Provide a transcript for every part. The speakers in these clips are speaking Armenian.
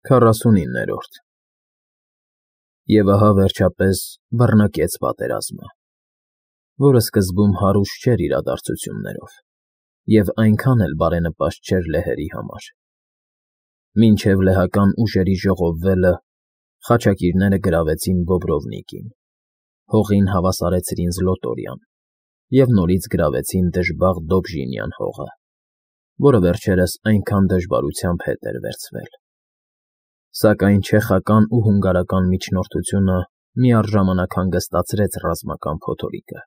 49-րդ Եվ ահա վերջապես բռնկեց պատերազմը, որը սկզբում հարուստ չէր իրադարձություններով և այնքան էլ բարենպաստ չէր լեհերի համար. մինչև լեհական ուժերի ժողովվելը խաչակիրները գրավեցին Բոբրովնիկին, հողին հավասարեցրին Զլոտորյան և նորից գրավեցին Դժբախտ Դոբժինյան հողը, որը վերջերս այնքան դժվարությամբ հետ էր վերցվել. Սակայն չեխական ու հունգարական միջնորդությունը միառժամանակ հանգստացրեց ռազմական փոթորիկը,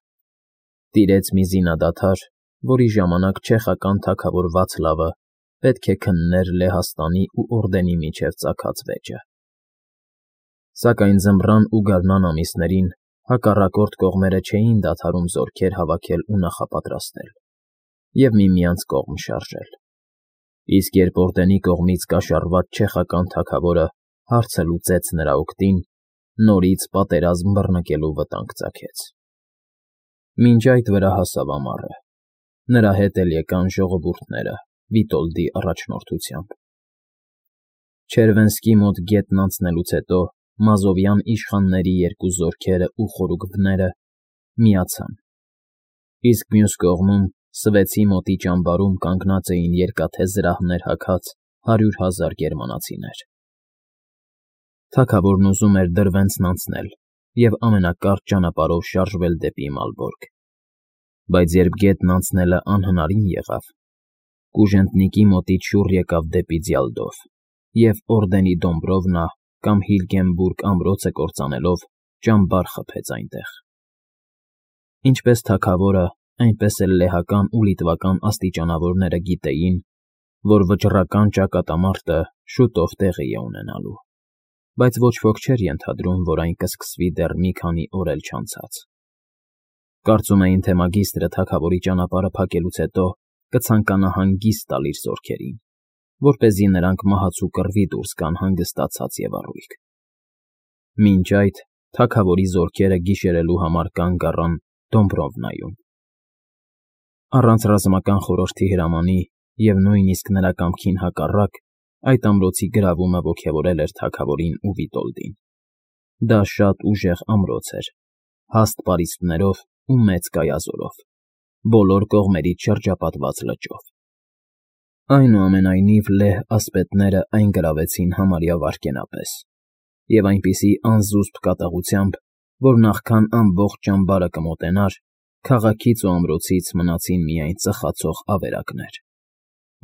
տիրեց մի զինադադար, որի ժամանակ չեխական թագավոր Վացլավը պետք է քններ Լեհաստանի ու Օրդենի միջև ծագած վեճը. Սակայն ձմռան ու գարնան ամիսներին հակառակորդ կողմերը չէին դադարում զորքեր հավաքել ու նախապատրաստել և միմյանց կողմ շարժել, իսկ երբ Օրդենի կողմից կաշառված չեխական թագավորը հարցը լուծեց նրա օգտին, նորից պատերազմ բռնկելու վտանգ ծագեց. Մինչ այդ վրա հասավ ամառը, նրա հետ էլ եկան ժողովուրդները Վիտոլդի առաջնորդությամբ. Չերվենսկի մոտ գետն անցնելուց հետո մազովյան իշխանների երկու զորքերը ու խորուկները միացան, իսկ մյուս կողմում Սվեցի մոտի ճամբարում կանգնած էին երկաթե զրահներ հագած 100,000 գերմանացիներ։ Թագավորն ուզում էր Դրվենցն անցնել և ամենակարճ ճանապարհով շարժվել դեպի Մալբորգ, բայց երբ գետն անցնելը անհնարին եղավ, Կուժենտնիկի մոտից շուռ եկավ դեպի Ձյալդով և Օրդենի Դոմբրովնա կամ Հիլգենբուրգ ամրոցը կործանելով ճամբար խփեց այնտեղ։ Ինչպես թագավորը, այնպես էլ լեհական ու լիտվական աստիճանավորները գիտեին, որ վճռական ճակատամարտը շուտով տեղի է ունենալու, բայց ոչ ոք չէր ենթադրում, որ այն կսկսվի դեռ մի քանի օր էլ չանցած։ Կարծում էին, թե մագիստրը թագավորի ճանապարհը փակելուց հետո կցանկանա հանգիստ տալ իր զորքերին, որպեսզի նրանք մահացու կռվի դուրս գան հանգստացած և առույգ։ Մինչ այդ թագավորի զորքերը գիշերելու համար կանգ առան Դոմբրովնայում։ Առանց ռազմական խորհրդի հրամանի և նույնիսկ նրա կամքին հակառակ այդ ամրոցի գրավումը ոգևորել էր թագավորին ու Վիտոլդին։ Դա շատ ուժեղ ամրոց էր, հաստ պարիսպներով ու մեծ կայազորով, բոլոր կողմերից շրջապատված լճով։ Այնուամենայնիվ լեհ ասպետները այն գրավեցին համարյա վայրկենապես և այնպիսի անզուսպ կատաղությամբ, որ նախքան ամբողջ ճամբարը կմոտենար, քաղաքից ու ամրոցից մնացին միայն ծխացող ավերակներ,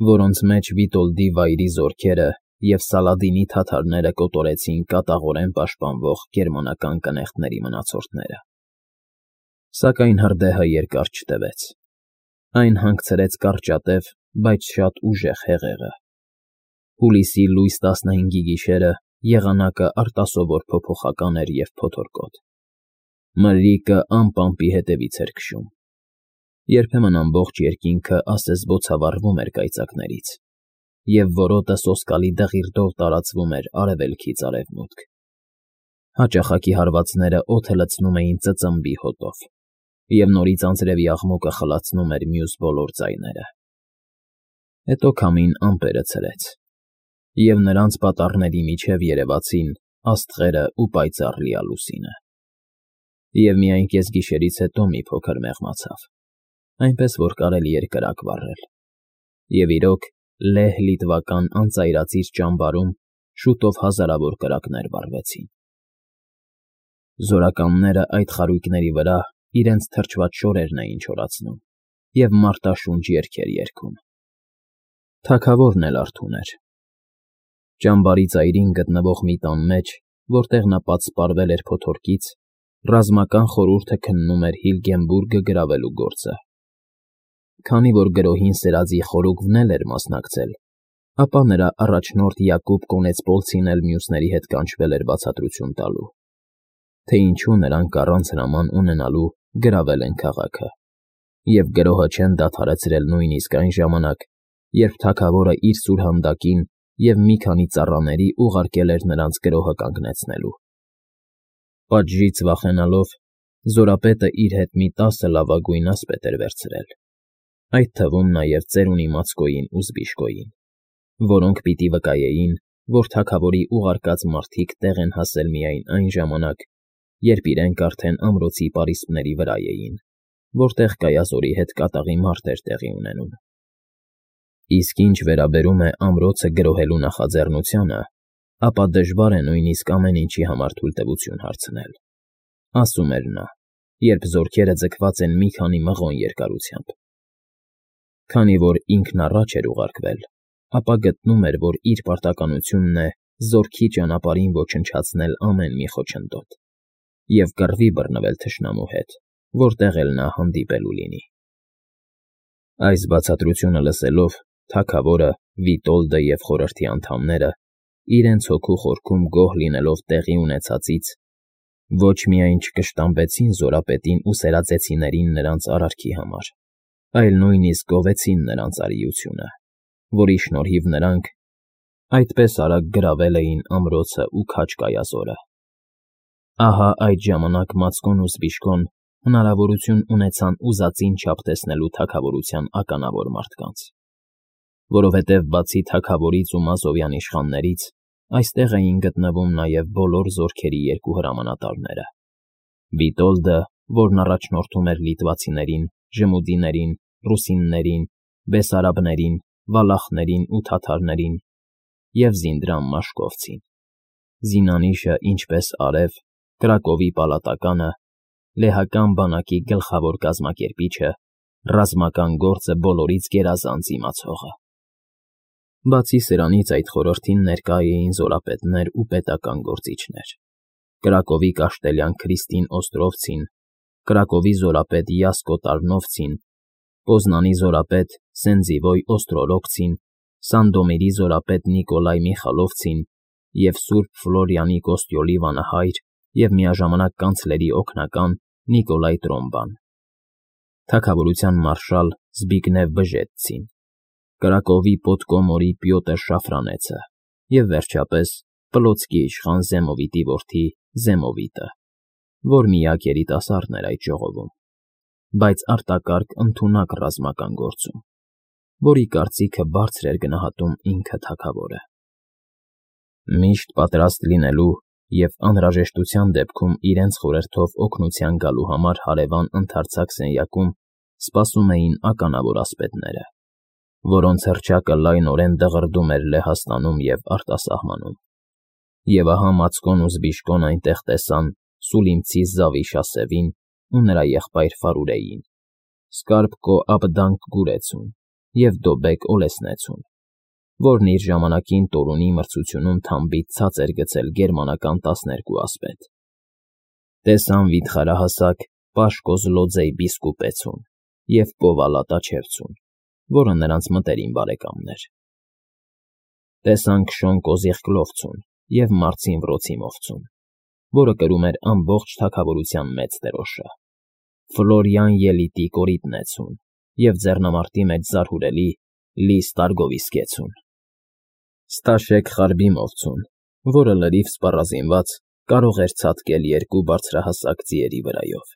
որոնց մեջ Վիտոլդի վայրի զորքերը և Սալադինի թաթարները կոտորեցին կատաղորեն պաշտպանվող գերմանական կնեղտների մնացորդները։ Սակայն հրդեհը երկար չտևեց. այն հանգցրեց կարճատև, բայց շատ ուժեղ հեղեղը։ Հուլիսի լույս 15-ի գիշերը եղանակը արտասովոր փոփոխական էր և փոթորկոտ։ Մրրիկը անպամպի հետևից էր քշում։ Երբեմն ամբողջ երկինքը ասես բոցավառվում էր կայծակներից, և որոտը սոսկալի դղիրդով տարածվում էր արևելքից արևմուտք։ Հաճախակի հարվածները օդը լցնում էին ծծմբի հոտով, և նորից անձրևի աղմուկը խլացնում էր մյուս բոլոր ձայները։ Հետո քամին ամպերը ցրեց, և նրանց պատառների միջև երևացին աստղերն ու պայծառ լիալուսինը։ Եվ միայն կեսգիշերից հետո մի փոքր մեղմացավ, այնպես որ կարելի էր կրակ վառել։ Եվ իրոք, լեհ֊լիտվական անծայրածիր ճամբարում շուտով հազարավոր կրակներ վառվեցին։ Զորականները այդ խարույկների վրա իրենց թրջված շորերն էին չորացնում և մարտաշունչ երգեր երգում։ Թագավորն էլ արթուն էր։ Ճամբարի ծայրին գտնվող մի տան մեջ, որտեղ նա պատսպարվել էր փոթորկից, ռազմական խորհուրդը քննում էր Հիլգենբուրգը գրավելու գործը։ Քանի որ գրոհին սերածի խորուկվն էլ էր մասնակցել, ապա նրա առաջնորդ Յակուբ Կոնեցպոլցին էլ մյուսների հետ կանչվել էր բացատրություն տալու, թե ինչու նրանք առանց հրաման ունենալու գրավել են քաղաքը, և գրոհը չեն դադարեցրել նույնիսկ այն ժամանակ, երբ թագավորը իր սուրհանդակին և մի քանի ծառաների ուղարկել էր նրանց գրոհը կանգնեցնելու։ Պատժից վախենալով, զորապետը իր հետ մի 10 լավագույն ասպետ էր վերցրել, այդ թվում նաև ծերունի Մացկոյին ու Զբիշկոյին, որոնք պիտի վկայեին, որ թագավորի ուղարկած մարդիկ տեղ են հասել միայն այն ժամանակ, երբ իրենք արդեն ամրոցի պարիսպների վրա էին, որտեղ կայազորի հետ կատաղի մարդ էր տեղի ունենում։ Իսկ ինչ վերաբերում է ամրոցը գրոհելու նախաձեռնությանը, ապա դժվար է նույնիսկ ամեն ինչի համար թույլտվություն հարցնել, ասում էր նա, երբ զորքերը ձգված են մի քանի մղոն երկարությամբ։ Քանի որ ինքն առաջ էր ուղարկվել, ապա գտնում էր, որ իր պարտականությունն է զորքի ճանապարհին ոչնչացնել ամեն մի խոչընդոտ և կռվի բռնվել թշնամու հետ, որտեղ էլ նա հանդիպելու լինի։ Այս բացատրությունը լսելով, թագավորը, Վիտոլդը և խորհրդի անդամները, իրենց հոգու խորքում գոհ լինելով տեղի ունեցածից, ոչ միայն չկշտամբեցին զորապետին ու սերածեցիներին նրանց արարքի համար, այլ նույնիսկ գովեցին նրանց արիությունը, որի շնորհիվ նրանք այդպես արագ գրավել էին ամրոցը ու քաջ կայազորը։ Ահա այդ ժամանակ Մացկոն ու Զբիշկոն հնարավորություն ունեցան ուզածին չափ տեսնելու թագավորության ականավոր մարդկանց, որովհետև բացի թագավորից ու Մազովյան իշխաններից, այստեղ էին գտնվում նաև բոլոր զորքերի երկու հրամանատարները. Վիտոլդը, որն առաջնորդում էր լիտվացիներին, ժմուդիներին, ռուսիններին, բեսարաբներին, վալախներին ու թաթարներին, և Զինդրամ Մաշկովցին, Զինանիշը, ինչպես արև, Կրակովի պալատականը, լեհական բանակի գլխավոր կազմակերպիչը, ռազմական գործը բոլորից գերազանց իմացողը։ Բացի սրանից այդ խորհրդին ներկա էին զորապետներ ու պետական գործիչներ. Կրակովի կաշտելյան Քրիստին Օստրովցին, Կրակովի զորապետ Յասկո Տարնովցին, Պոզնանի զորապետ Սենձիվոյ Օստրորոգցին, Սանդոմիրի զորապետ Նիկոլայ Միխալովցին և Սուրբ Ֆլորիանի Կոստյոլի վանահայր և միաժամանակ կանցլերի օգնական Նիկոլայ Տրոմբան, թագավորության մարշալ Զբիգնև Բժեձցին, Կրակովի Պոդկոմորի Պյոտր Շաֆրանեցը և, վերջապես, Պլոցկի իշխան Զեմովիտի որդի Զեմովիտը, որ միակ երիտասարդն էր այդ ժողովում, բայց արտակարգ ընդունակ ռազմական գործում, որի կարծիքը բարձր էր գնահատում ինքը թագավորը։ Միշտ պատրաստ լինելու և անհրաժեշտության դեպքում իրենց խորհրդով օգնության գալու համար հարևան ընդարձակ սենյակում սպասում էին ականավոր ասպետները, որոնց հռչակը լայնորեն դղրդում էր Լեհաստանում և արտասահմանում։ Եվ ահա Մացկոն ու Զբիշկոն այնտեղ տեսան Սուլիմցի Զավիշասևին ու նրա եղբայր Ֆարուրեին, Սկարպկո Աբդանկ Գուրեցուն և Դոբեկ Օլեսնեցուն, որն իր ժամանակին Տորունի մրցությունում թամբից ցած էր գցել գերմանական 12 ասպետ։ Տեսան վիթխարահասակ Պաշկոզլոձեյ Բիսկուպեցուն և Պովալա Տաչևցուն, որը նրանց մտերիմ բարեկամն էր։ Տեսան Քշոն Կոզիղկլովցուն և Մարցին Վրոցիմովցուն, որը կրում էր ամբողջ թագավորության մեծ դրոշը, Ֆլորյան Ելիտի Կորիտնեցուն և ձեռնամարտի մեջ զարհուրելի Լի Ստարգովիսկեցուն, Ստաշեկ Խարբիմովցուն, որը լրիվ սպառազինված կարող էր ցատկել երկու բարձրահասակ ձիերի վրայով։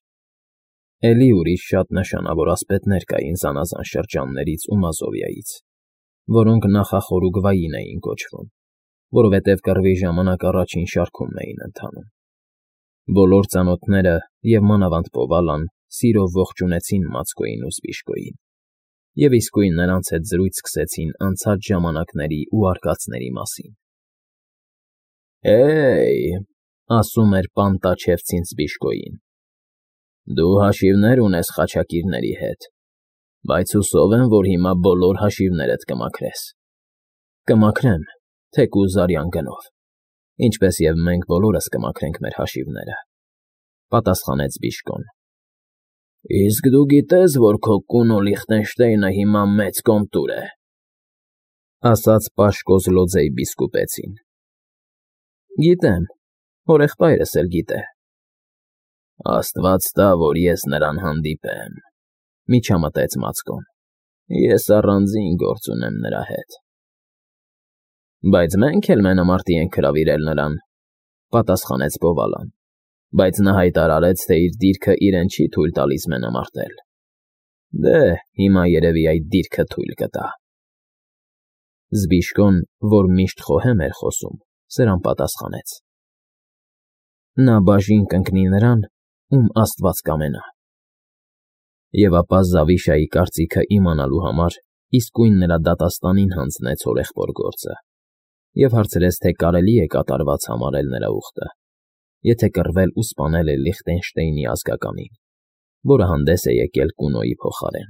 Էլի ուրիշ շատ նշանավոր ասպետներ կային զանազան շրջաններից ու Մազովիայից, որոնք նախախորուգվային էին կոչվում, որովհետև կռվի ժամանակ առաջին շարքում էին ընթանում։ Բոլոր ծանոթները և մանավանդ Պովալան սիրով ողջունեցին Մացկոյին ու Զբիշկոյին և իսկույն նրանց հետ զրույց սկսեցին անցած ժամանակների ու արկածների մասին։ «Հե՜յ,֊ ասում էր պան Տաչևցին Զբիշկոյին,֊ դու հաշիվներ ունես խաչակիրների հետ, բայց հուսով եմ, որ հիմա բոլոր հաշիվներդ կմաքրես»։ «Կմաքրեմ, թեկուզ արյան գնով, ինչպես և մենք բոլորս կմաքրենք մեր հաշիվները,֊ պատասխանեց Զբիշկոն։ Իսկ դու գիտես, որ քո կունո Լիխտենշտեյնը հիմա մեծ կոմտուր է,֊ ասաց Պաշկոզլոձեյ Բիսկուպեցին։ Գիտեմ, հորեղբայրս էլ գիտե։ Աստված տա, որ ես նրան հանդիպեմ,֊ միջամտեց Մացկոն։ Ես առանձին գործ ունեմ նրա հետ։ Բայց մենք էլ մենամարտի ենք հրավիրել նրան,֊ պատասխանեց Պովալան, բայց նա հայտարարեց, թե իր դիրքը իրեն չի թույլ տալիս մենամարտել։ Դե, հիմա երևի այդ դիրքը թույլ կտա։ Զբիշկոն, որ միշտ խոհեմ էր խոսում, սրան պատասխանեց. նա բաժին կընկնի նրան, ում Աստված կամենա։ Եվ ապա Զավիշայի կարծիքը իմանալու համար իսկույն նրա դատաստանին հանձնեց հորեղբոր գործը և հարցրեց, թե կարելի է կատարված համարել նրա ուխտը, եթե կռվել ու սպանել է Լիխտենշտեյնի ազգականին, որը հանդես է եկել Կունոյի փոխարեն։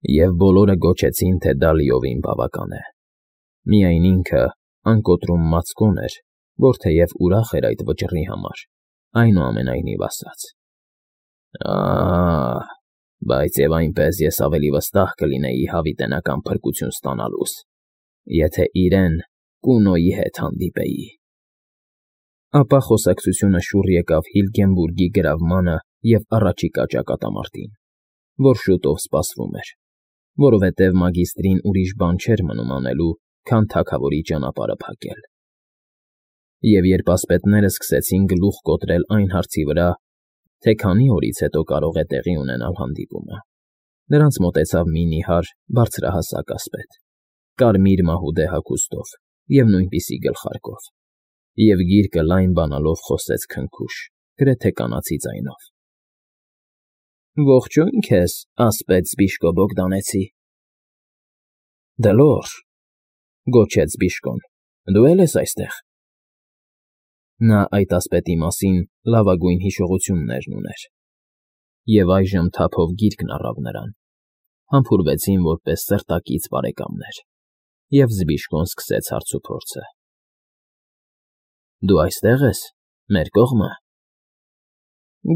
Եվ բոլորը գոչեցին, թե դա լիովին բավական է։ Միայն ինքը անկոտրում մացկոն էր, որ թեև ուրախ էր այդ վճռի համար, այնուամենայնիվ ասաց. բայց և այնպես ես ավելի վստահ կլինեի հավիտենական փրկություն ստանալուս, եթե իրեն Կունոյի հետ հանդիպեի։ Ապա խոսակցությունը շուռ եկավ Հիլգենբուրգի գրավմանը և առաջիկա ճակատամարտին, որ շուտով սպասվում էր, որովհետև մագիստրին ուրիշ բան չէր մնում անելու, քան թագավորի ճանապարհը փակել։ Եվ երբ ասպետներն սկսեցին գլուխ կոտրել այն հարցի վրա, թե քանի օրից հետո կարող է տեղի ունենալ հանդիպումը, նրանց մոտեցավ մի նիհար բարձրահասակ ասպետ, կարմիր մահուդե հագուստով և նույնպիսի գլխարկով, և գիրկը լայն բանալով խոսեց քնքուշ, գրեթե կանացի ձայնով. Ողջույն քեզ, ասպետ Զբիշկո Բոգդանեցի։ Դլոր, գոչեց Զբիշկոն, դու էլ ես այստեղ։ Նա այդ ասպետի մասին լավագույն հիշողություններն ուներ, և այժմ թափով գիրկն առավ նրան, համբուրվեցին որպես սրտակից բարեկամներ, և Զբիշկոն սկսեց հարցուփորձը. Դու այստեղ ես, մեր կողմը։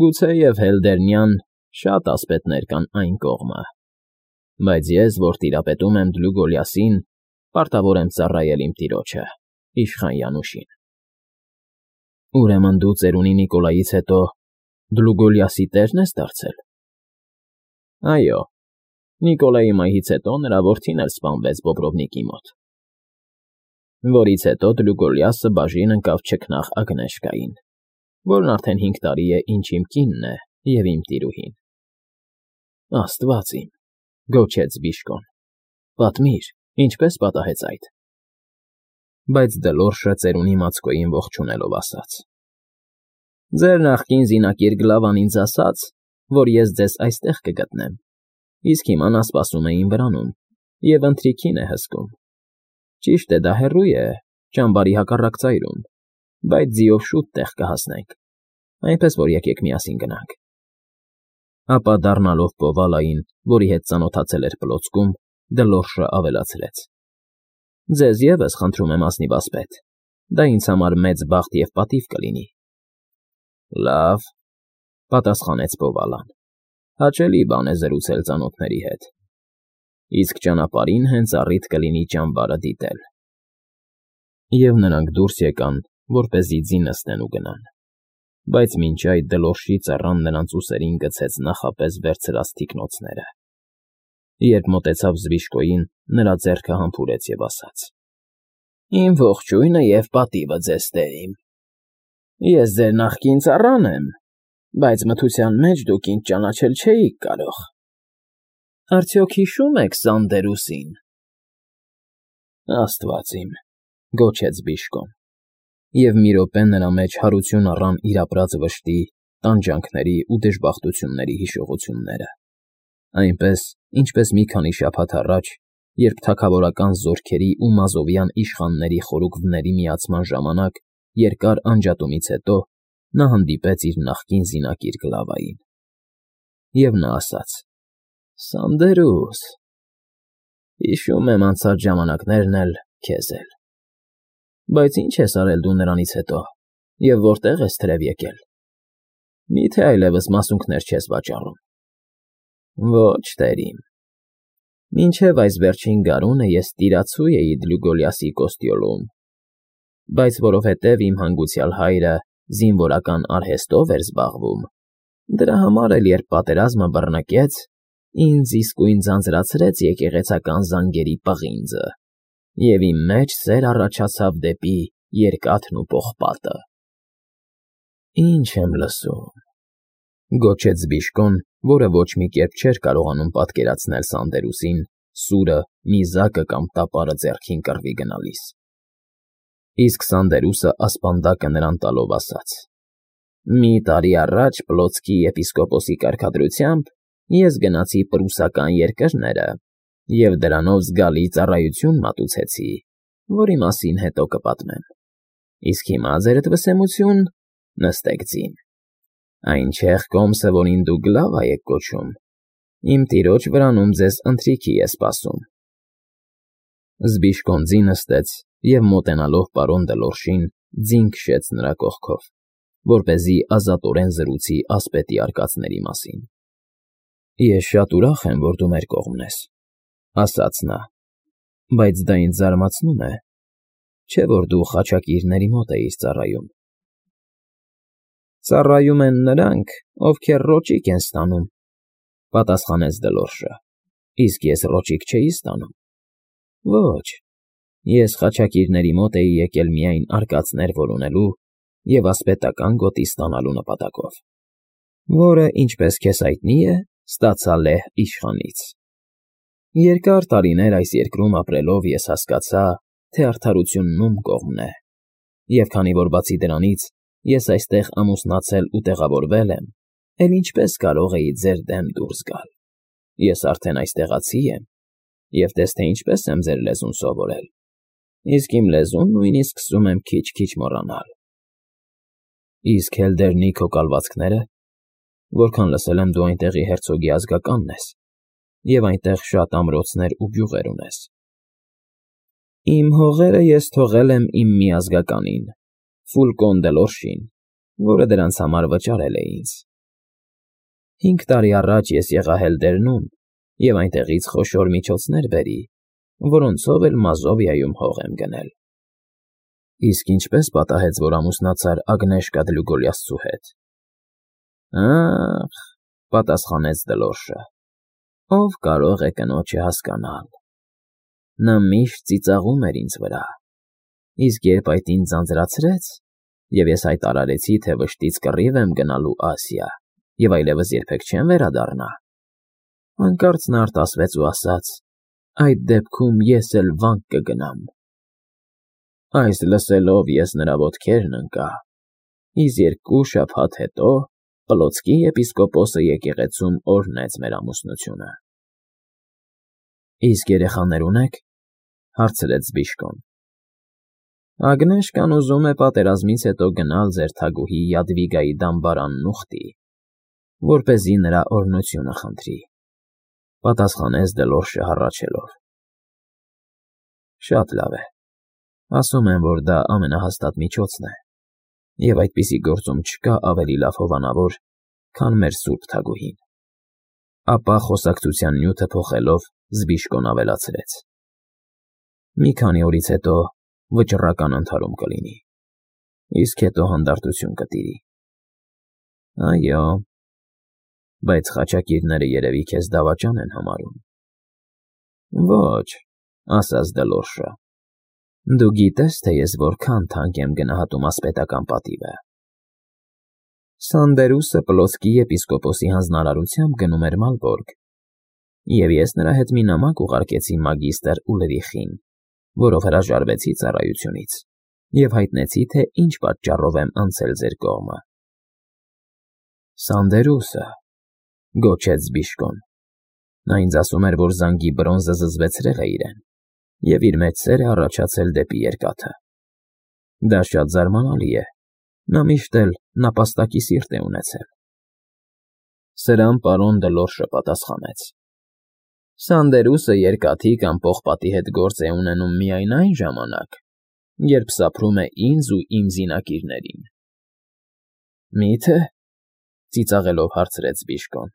Գուցեև Հելդերնյան շատ ասպետներ կան այն կողմը, բայց ես, որ տիրապետում եմ Դլուգոլիասին, պարտավոր եմ ծառայել իմ տիրոջը, իշխան Յանուշին։ Ուրեմն դու ծերունի Նիկոլայից հետո Դլուգոլիասի տերն ես դարձել։ Այո, Նիկոլայի մահից հետո նրա որդին էլ սպանվեց Բոբրովնիկի մոտ, որից հետո Դլուգոլիասը բաժին ընկավ չքնաղ Ագնեշկային, որն արդեն 5 տարի է, ինչ իմ կինն է և իմ տիրուհին։ Աստված իմ, գոչեց Զբիշկոն, պատմիր, ինչպես պատահեց այդ։ Բայց Դլորշը ծերունի Մացկոյին ողջունելով ասաց. Ձեր նախկին զինակիր Գլավան ինձ ասաց, որ ես ձեզ այստեղ կգտնեմ, իսկ հիմա նա սպասում է իմ վրանում և ընթրիքին է հսկում։ Ճիշտ է, դա հեռու է, ճամբարի հակառակ ծայրում, բայց ձիով շուտ տեղ կհասնենք, այնպես որ եկեք միասին գնանք։ Ապա դառնալով Պովալային, որի հետ ծանոթացել էր պլոցքում, Դլորշը ավելացրեց. Ձեզ ևս խնդրում եմ ազնիվ ասպետ, դա ինձ համար մեծ բախտ և պատիվ կլինի։ Լավ, պատասխանեց Պովալան, հաճելի բան է զրուցել ծանոթների հետ, իսկ ճանապարհին հենց առիթ կլինի ճամբարը դիտել։ Եվ նրանք դուրս եկան, որպեսզի ձի նստեն ու գնան, բայց մինչ այդ Դլորշի ծառան նրանց ուսերին գցեց նախապես վերցրած թիկնոցները։ Երբ մոտեցավ Զբիշկոյին, նրա ձեռքը համբուրեց և ասաց. Իմ ողջույնը և պատիվը ձեզ տերիմ։ Ես ձեր նախկին ծառան եմ, բայց մթության մեջ դուք ինձ ճանաչել չէիք կարող։ Արդյոք հիշո՞ւմ եք Սանդերուսին։ Աստված իմ, գոչեց Զբիշկոն, և մի րոպե նրա մեջ հարություն առան իր ապրած վշտի, տանջանքների ու դժբախտությունների հիշողությունները, այնպես, ինչպես մի քանի շաբաթ առաջ, երբ թագավորական զորքերի ու մազովյան իշխանների խորուկների միացման ժամանակ երկար անջատումից հետո նա հանդիպեց իր նախկին զինակիր Գլավային։ Եվ նա ասաց. Սանդերուս, հիշում եմ անցած ժամանակներն էլ, քեզ էլ։ Բայց ինչ ես արել դու նրանից հետո, և որտեղ ես թրև եկել։ Մի՞թե այլևս մասունքներ չես վաճառում։ Ոչ, տերիմ։ Մինչև այս վերջին գարունը ես տիրացու էի Դլուգոլիասի Կոստյոլում, բայց որովհետև իմ հանգուցյալ հայրը զինվորական արհեստով էր զբաղվում, դրա համար էլ երբ պատերազմը բռնկեց, ինձ իսկույն ձանձրացրեց եկեղեցական զանգերի պղինձը, և իմ մեջ սեր առաջացավ դեպի երկաթն ու պողպատը։ Ինչ եմ լսում, գոչեց Զբիշկոն, որը ոչ մի կերպ չէր կարողանում պատկերացնել Սանդերուսին, սուրը, նիզակը կամ տապարը ձեռքին կռվի գնալիս։ Իսկ Սանդերուսը ասպանդակը նրան տալով ասաց. «Մի տարի առաջ Պլոցկի եպիսկոպոսի կարգադրությամբ ես գնացի պրուսական երկրները և դրանով զգալի ծառայություն մատուցեցի, որի մասին հետո կպատմեմ։ Իսկ հիմա, ձերդ վսեմություն, նստեք ձին։ Այն չեղ կոմսը, որին դուք Գլավա եք կոչում, իմ տիրոջ վրանում ձեզ ընթրիքի է սպասում»։ Զբիշկոն ձի նստեց և մոտենալով պարոն Դլորշին ձին քշեց նրա կողքով, որպեսզի ազատորեն զրուցի ասպետի արկածների մասին։ «Ես շատ ուրախ եմ, որ դու մեր կողմն ես,֊ ասաց նա,֊ բայց դա ինձ զարմացնում է, չէ՞ որ դու խաչակիրների մոտ էիր ծառայում»։ «Ծառայում են նրանք, ովքեր ռոճիկ են ստանում,֊ պատասխանեց Դլորշը,֊ իսկ ես ռոճիկ չէի ստանում։ Ոչ, ես խաչակիրների մոտ էի եկել միայն արկածներ որոնելու և ասպետական գոտի ստանալու նպատակով, որը, ինչպես քեզ հայտնի է, ստացա լեհ իշխանից։ Երկար տարիներ այս երկրում ապրելով ես հասկացա, թե արդարությունն ում կողմն է, և քանի որ բացի դրանից ես այստեղ ամուսնացել ու տեղավորվել եմ, էլ ինչպես կարող էի ձեր դեմ դուրս գալ։ Ես արդեն այստեղացի եմ և տես թե ինչպես եմ ձեր լեզուն սովորել, իսկ իմ լեզուն նույնիսկ սկսում եմ քիչ֊քիչ մոռանալ։ Իսկ Հելդերնի քո կալվածքները, որքան լսել եմ, դու այնտեղի հերցոգի ազգականն ես և այնտեղ շատ ամրոցներ ու գյուղեր ունես։ Իմ հողերը ես թողել եմ իմ մի ազգականին, Ֆուլկոն Դլորշին, որը դրանց համար վճարել է ինձ։ 5 տարի առաջ ես եղա Հելդերնում և այնտեղից խոշոր միջոցներ բերի, որոնցով էլ Մազովիայում հող եմ գնել։ Իսկ ինչպես պատահեց, որ ամուսնացար Ագնեշկա Դլուգոլիասցու հետ։ Ա՜խ,֊ պատասխանեց Դլորշը,֊ ով կարող է կնոջը հասկանալ։ Նա միշտ ծիծաղում էր ինձ վրա, իսկ երբ այդ ինձ ձանձրացրեց, և ես հայտարարեցի, թե վշտից կռիվ եմ գնալու Ասիա և այլևս երբեք չեմ վերադառնա, հանկարծ նա արտասվեց ու ասաց. «Այդ դեպքում ես էլ վանք կգնամ»։ Այս լսելով ես նրա ոտքերն ընկա, իսկ 2 շաբաթ հետո Պլոցկի եպիսկոպոսը եկեղեցում օրհնեց մեր ամուսնությունը։ Իսկ երեխաներ ունեք, հարցրեց Զբիշկոն։ Ագնեշկան ուզում է պատերազմից հետո գնալ ձեր թագուհի Յադվիգայի դամբարանն ուխտի, որպեսզի նրա օրհնությունը խնդրի, պատասխանեց Դլորշը հառաչելով։ Շատ լավ է, ասում են, որ դա ամենահաստատ միջոցն է, և այդպիսի գործում չկա ավելի լավ հովանավոր, քան մեր սուրբ թագուհին։ Ապա խոսակցության նյութը փոխելով Զբիշկոն ավելացրեց. Մի քանի օրից հետո վճռական ընդհարում կլինի, իսկ հետո հանդարտություն կտիրի։ Այո, բայց խաչակիրները երևի քեզ դավաճան են համարում։ Ոչ, ասաց Դլորշը, դու գիտես, թե ես որքան թանկ եմ գնահատում ասպետական պատիվը։ Սանդերուսը Պլոցկի եպիսկոպոսի հանձնարարությամբ գնում էր Մալբորգ, և ես նրա հետ մի նամակ ուղարկեցի մագիստր Ուլրիխին, որով հրաժարվեցի ծառայությունից և հայտնեցի, թե ինչ պատճառով եմ անցել ձեր կողմը։ Սանդերուսը,֊ գոչեց Զբիշկոն։ Նա ինձ ասում էր, որ զանգի բրոնզը զզվեցրել է իրեն, և իր մեջ սեր է առաջացել դեպի երկաթը։ Դա շատ զարմանալի է, նա միշտ էլ նապաստակի սիրտ է ունեցել։ Սրան պարոն Դլորշը պատասխանեց. Սանդերուսը երկաթի կամ պողպատի հետ գործ է ունենում միայն այն ժամանակ, երբ սափրում է ինձ ու իմ զինակիրներին։ Մի՞թե,֊ ծիծաղելով հարցրեց Զբիշկոն։